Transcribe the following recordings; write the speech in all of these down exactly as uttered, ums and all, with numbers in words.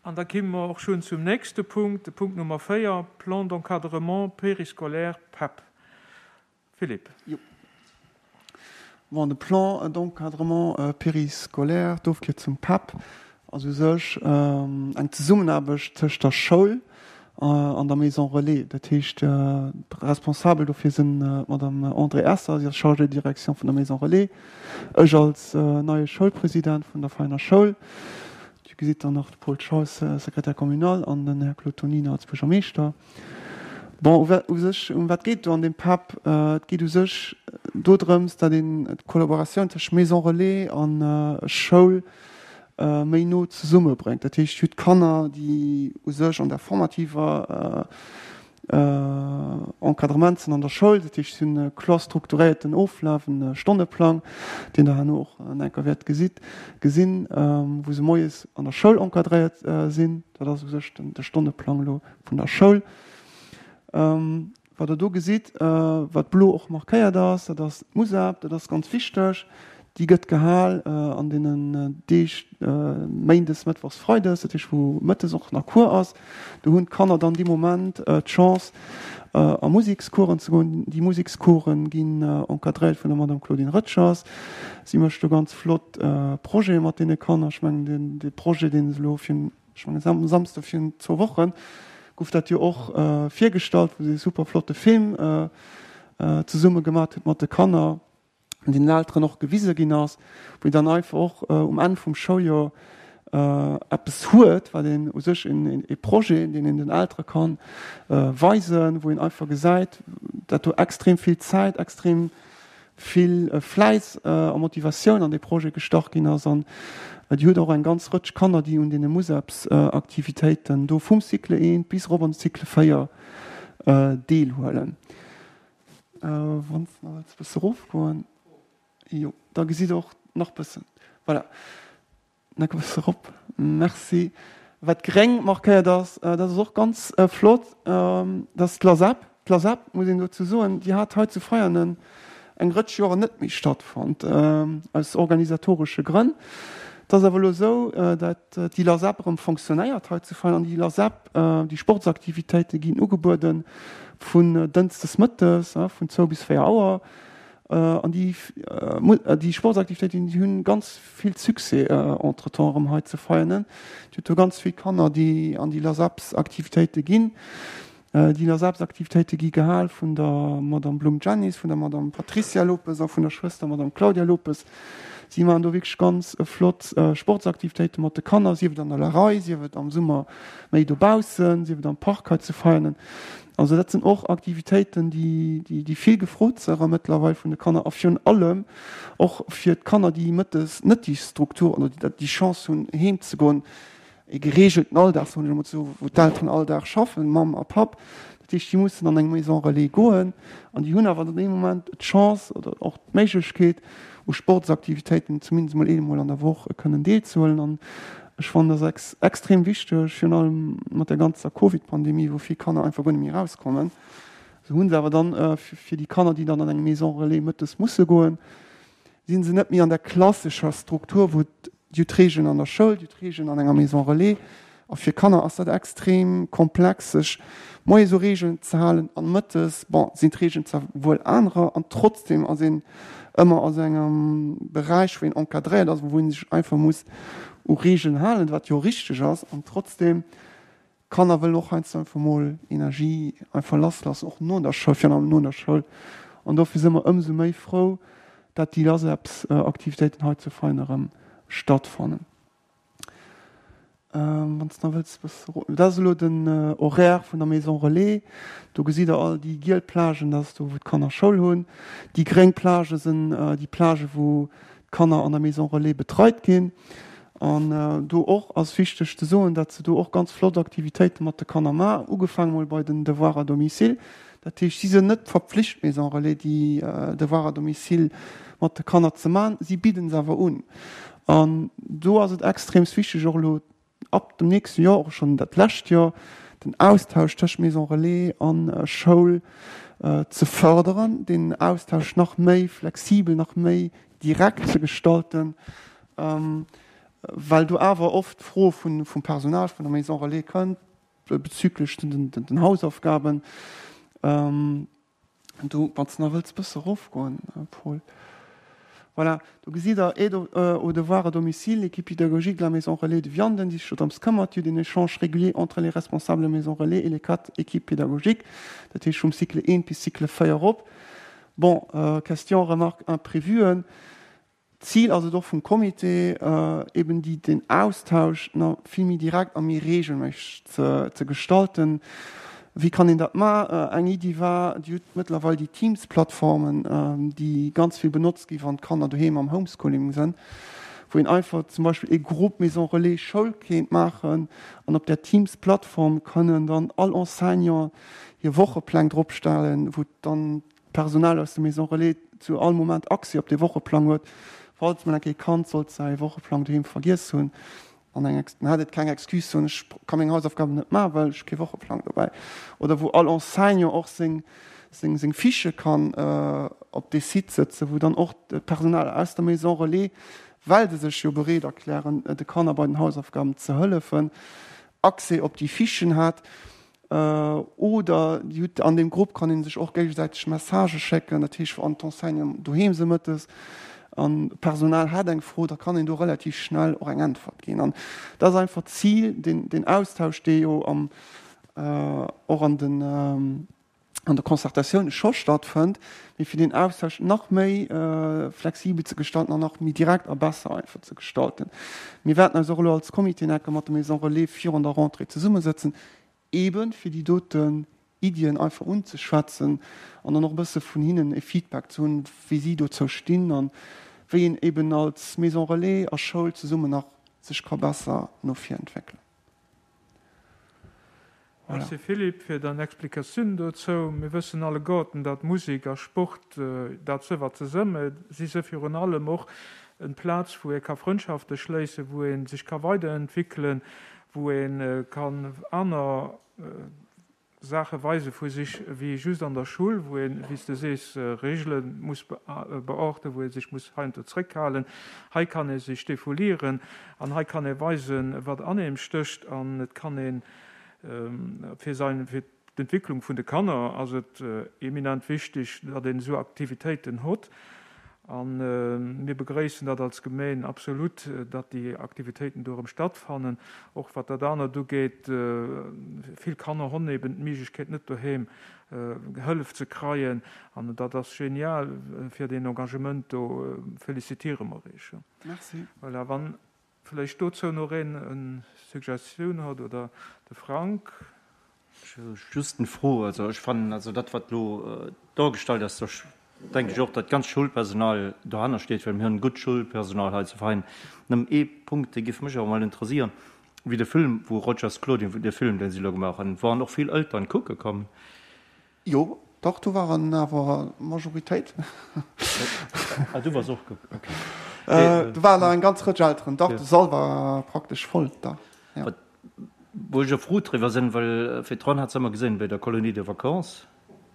An da komme mer och schonn zum nächste Punkt, de Punkt Nummer véier, Plan d'encadrement périscolaire P E P. Philippe. Jo. Bon, de Plan d'encadrement périscolaire, d'Ofkierzung P E P, ass u sech eng Zesummenaarbecht tëscht der Schoul an der Maison Relais. Dat heescht, responsabel dofir sinn d'Madame Andrée Esser, si ass Chargée de direction vun der Maison Relais, ech als neie Schoulpresident vun der Vereiner Schoul, Dir gesitt dann nach de Paul Schaus, Secrétaire communal, an den Här Claude Tonina als Buergermeeschter. Bon, u sech, ëm wat geet do an deem P E P? Et geet u sech dodrëms, datt een d'Kollaboratioun tëscht Maison Relais a Schoul méi no zesummebréngt. Dat heescht, dir hutt Kanner, déi u sech an der formativer Encadrement sinn an der Schoul, dat heescht, si hunn e kloer strukturéierten Oflaf, en Stonneplang, deen Der herno och an enker wäert gesitt, gesinn, wou se moies an der Schoul encadréiert sinn. Dat ass u sech de Stonneplang elo vun der Schoul. Wat Der do gesitt, wat blo och markéiert ass, dat ass d'Musab, dat ass ganz wichteg. Déi gëtt gehal an deenen Deeg méindes, mëttwochs, freides, dat heescht wou mëttes och nach Cours ass. Do hunn d'Kanner dann dee Moment d'Chance a Musekscoursen ze goen. Déi Musekscoursen ginn encadréiert vun der Madame Claudine Röttgers. Si mécht do ganz flott Projete mat deene Kanner. Ech mengen deen dee Projet, deen se elo virun, ech mengen Sam Samsde virun zwou Wochen, gouf dat jo och virgestallt, wou se ee super flotte Film zesumme gemat huet mat de Kanner, an den Elteren och gewise ginn ass, wou een dann einfach och um Enn vum Schouljoer eppes huet, wat een u sech e Projet, deen een den Eltere kann weisen, wou een einfach gesäit, dat do extrem vill Zäit, extrem vill Fläiss a Motivatioun an dee Projet gestach ginn ass. An Dir hutt och eng ganz Rëtsch Kanner, déi un deene Museksaktivitéiten do vum Cycle eent bis erop an de Cycle véier deelhuelen. Wann s de nach wëlls e bësse erofgoen, jo, da gesitt Der och nach bëssen, voilà, nach e bësse erop, merci. Wat gréng markéiert ass, dat ass och ganz flott, dat ass d'LASEP. D'LASEP, muss een dozou soen, déi hat hei zu Veianen eng Rëtsch Joren net méi stattfonnt, aus organisatoresche Grënn. Et ass awer elo esou, datt déi LASEP erëm fonctionnéiert hei zu Veianen. An déi LASEP, déi Sportsaktivitéite ginn ugebuede vun dënschdes mëttes, vun zwou bis véier Auer. An déi, déi Sportsaktivitéiten, déi hunn ganz vill Succès entretemps erëm hei zu Veianen. Dir hutt do ganz vill Kanner, déi an déi LASEPs-Aktivitéite ginn. Déi LASEPs-Aktivitéite gi gehal vun der Madame Blum Janice, vun der Madame Patricia Lopes a vun der Schwëster Madame Claudia Lopes. Si maachen do wierklech ganz flott Sportsaktivitéite mat de Kanner, sief et an der Lerei, sief et am Summer méi dobaussen, sief et am Park hei zu Veianen. Also dat sinn och Aktivitéiten, déi, déi vill gefrot si mëttlerweil vun de Kanner a virun allem och fir d'Kanner, déi mëttes net déi Struktur oder déi Chance hunn, heem ze goen, e geregelten Alldag, soen ech emol esou, wou d'Elteren all Dag schaffen, Mamm a Papp. Dat heescht, déi mussen an eng Maison relais goen an déi hunn awer an deem Moment d'Chance oder och d'Méiglechkeet, u Sportsaktivitéiten zumindest emol eemol an der Woch kënnen deelzehuelen. An ech fannen, dat ass extrem wichteg, virun allem mat der ganzer Covid-Pandemie, wou vill Kanner einfach guer net méi erauskommen. Esou hu se awer dann fir déi Kanner, déi dann an eng Maison relais mëttes musse goen, si se net méi an der klassescher Struktur, wou Dir hutt Regeln an der Schoul, Dir hutt Regeln an enger Maison relais. A fir Kanner ass dat extrem komplex, sech moies u Regeln ze halen an mëttes, bon, sinn d'Regeln zwar wuel anerer an trotzdem ass een ëmmer a sou engem Beräich, wou een encadréiert ass, wou ee sech einfach muss u Regeln halen, wat jo richteg ass. An trotzdem, Kanner wëllen och heiansdo einfach mol Energie einfach lassloossen, och no der Schoul, virun allem no der Schoul. An dofir si mer ëmsou méi frou, dat déi LASEPs-Aktivitéiten hei zu Vein erëm stattfannen. Wann s de nach wëlls e bësse ro-, dat ass elo den Horaire vun der Maison Relais. Do gesitt Der all déi giel Plagen, dat ass do wou d'Kanner Schoul hunn. Déi gréng Plage sinn déi Plage wou d'Kanner an der Maison Relais betreit ginn. An do och ass wichteg ze soen, datt se do och ganz flott Aktivitéite mat de Kanner maachen, ugefaange mol bei den Devoirs à domicile. Dat heescht, si sinn net verpflicht, d'Maison Relais, déi Devoirs à domicile mat de Kanner ze maachen, si bidden se awer un. An do ass et extreemst wichteg, och elo ab dem nächste Joer, och schonn dat lescht Joer, den Austausch tëscht Maison Relais a Schoul ze fërderen, deen Austausch nach méi flexibel, nach méi direkt ze gestalten. well do awer oft d'Fro vun, vum Personal vun der Maison Relais kënnt bezüglech den, den, den Hausaufgaben. Ähm, do, wann s de nach wëlls bësse erofgoen, Paul. Voilà, do gesitt Der, Aide aux devoirs à domicile, l'équipe pédagogique de la Maison Relais de Vianden, déi sech do drëms këmmert, eut un échange régulier entre les responsables de Maison Relais et les quatre équipes pédagogiques, dat heescht vum Cycle eent bis Cycle véier erop. Bon, Questions, remarques, imprévuen. D'Zil ass et och vum Comité, eben déi, den Austausch nach vill méi direkt a méi regelméisseg ze, ze gestalten. Wéi kann een dat ma? Eng Iddi war, Dir hutt mëttlerweil déi Teams-Plattformen, déi ganz vill benotzt gi wann d'Kanner doheem am Homeschooling sënn, wou een einfach zum Beispill ee Groupe Maison Relais Schoul kéint maachen an op där Teams-Plattform kënnen dann all Enseignant hir Wochepläng dropstellen, wou dann d'Personal aus der Maison Relais zu all Moment Accès op dee Wocheplang huet, falls mol eng Kéier e Kand sollt säi Wocheplang doheem vergiess hunn an eng dann hätt et keng Excuse soen, ech ka meng Hausaufgaben net maachen, well ech hu kee Wocheplang dobäi. Oder wou all Enseignant och seng seng seng Fichë kann op dee Site sëtzen, wou dann och d'Personal aus der Maison Relais, well se sech jo bereet erklären, de Kanner bei den Hausaufgaben ze hëllefen, Accès op déi Fichen hat. Oder Dir hutt an deem Grupp kann ee sech och géigesäiteg Messagë schécken, dat heescht wann d'Enseignanten doheem si mëttes an d'Personal hätt eng Fro, da kann een do relativ schnell och eng Äntwert ginn. An dat ass einfach d'Zil, deen, deen Austausch, dee jo am, och an den, an der Concertatioun scho stattfënnt, mee fir deen Austausch nach méi flexibel ze gestalten an nach méi direkt a besser einfach ze gestalten. Mir wäerten eis och elo als Comité enke mat der Maison Relais virun der Rentrée zesummesëtzen, eben fir déi doten Iddien einfach unzeschwätzen an dann och e bësse vun hinnen e Feedback ze hunn, wéi si dozou stinn an wéi een eben als Maison Relais a Schoul zesummen nach sech ka besser no vir entwéckelen. Voilà. Merci Philippe fir dein Explikatioun dozou. Mir wëssen alleguerten, datt Musek a Sport, dat sëwwer zesëmme si se virun allem och en Plaz, wou ee ka Frëndschafte schléissen, wou ee sech ka weiderentwéckelen, wou ee kann aner Saache weise vu sech wéi just an der Schull, wou een, wéi s de sees, Regele muss beachten, wou ee sech muss heiansdo zréckhalen. Hei kann ee sech defoulieren an hei kann ee weisen, wat an eem stécht an et kann ee fir säin, fir d'Entwicklung vun de Kanner ass et eminent wichteg, datt een esou Aktivitéiten hott. A mir begréissen dat als Gemeen absolut, datt déi Aktivitéiten do erëm stattfannen. Och wat dat anert ugeet, vill Kanner honn eben d'Méiglechkeet net doheem Hëllef ze kreien. An dat ass genial fir deen Engagement do. Félicitiere mer Iech. Merci. Voilà, wann vläicht dozou nach een eng Suggestioun huet oder de Frank. Ech hu just eng Fro. Also ech fannen, also dat wat elo dargestallt ass, do denke ech och, datt d'ganzt Schoulpersonal dohanner steet, well mir hunn gutt Schoulpersonal hei zu Vein. Nëmmen ee Punkt, dee géif mech awer mol interesieren, wéi de Film, wou Rogers Claudine, dee Film, deen si elo gemaach hunn, waren och vill Elteren kucke komm. Jo, dach, do waren awer d'Majoritéit. Ah, du wars och kucken, okay. Do waren awer eng ganz Rëtsch Elteren, dach, de Sall war praktesch voll da, jo. Wou ech och frou driwwer sinn, well virdrun hat se ëmmer gesinn, bei der Colonie de vacances,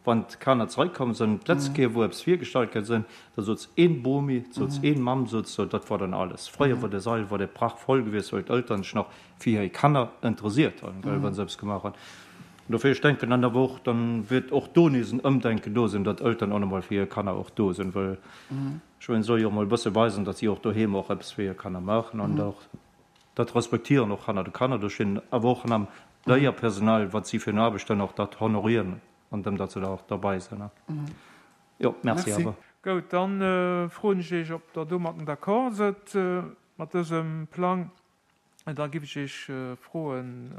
wann d'Kanner zeréckkomm sinn, d'letzt Kéier wou eppes virgestallt ginn sinn, da souz een Bomi, souz een Mamm, souz sou, dat war dann alles. Fréier war de Sall, war de prachvoll gewiescht, well d'Elteren sech nach fir hir Kanner interesiert hunn, well wa se eppes gemaach hunn. An dofir, ech denken dann awer och, dann wäert och do nees en Ëmdenken do sinn, datt Elteren och nach mol fir hir Kanner och do sinn, well ech mengen, se solle jo och mol e bësse weisen, datt si och doheem och eppes fir hir Kanner maachen an och Dat respektieren och hanner de Kanner do stinn, awer och am Léierpersonal, wat si fir eng Aarbecht hunn, och dat honorieren, an dem datt se da och derbei sinn. Jo, merci awer. Goud, dann froen ech Iech, ob Der domatten d'accord sëtt mat dësem Plang. Da giff ech Iech froen,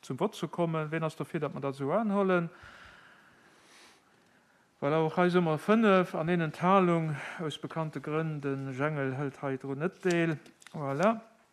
zum Vott ze kommen. Ween ass dofir, datt mer dat esou anhollen? Voilà, och hei si mer fënnef an een Enthalung, aus bekannte Grënn. De Jengel hëlt hei drun net deel. Voilà.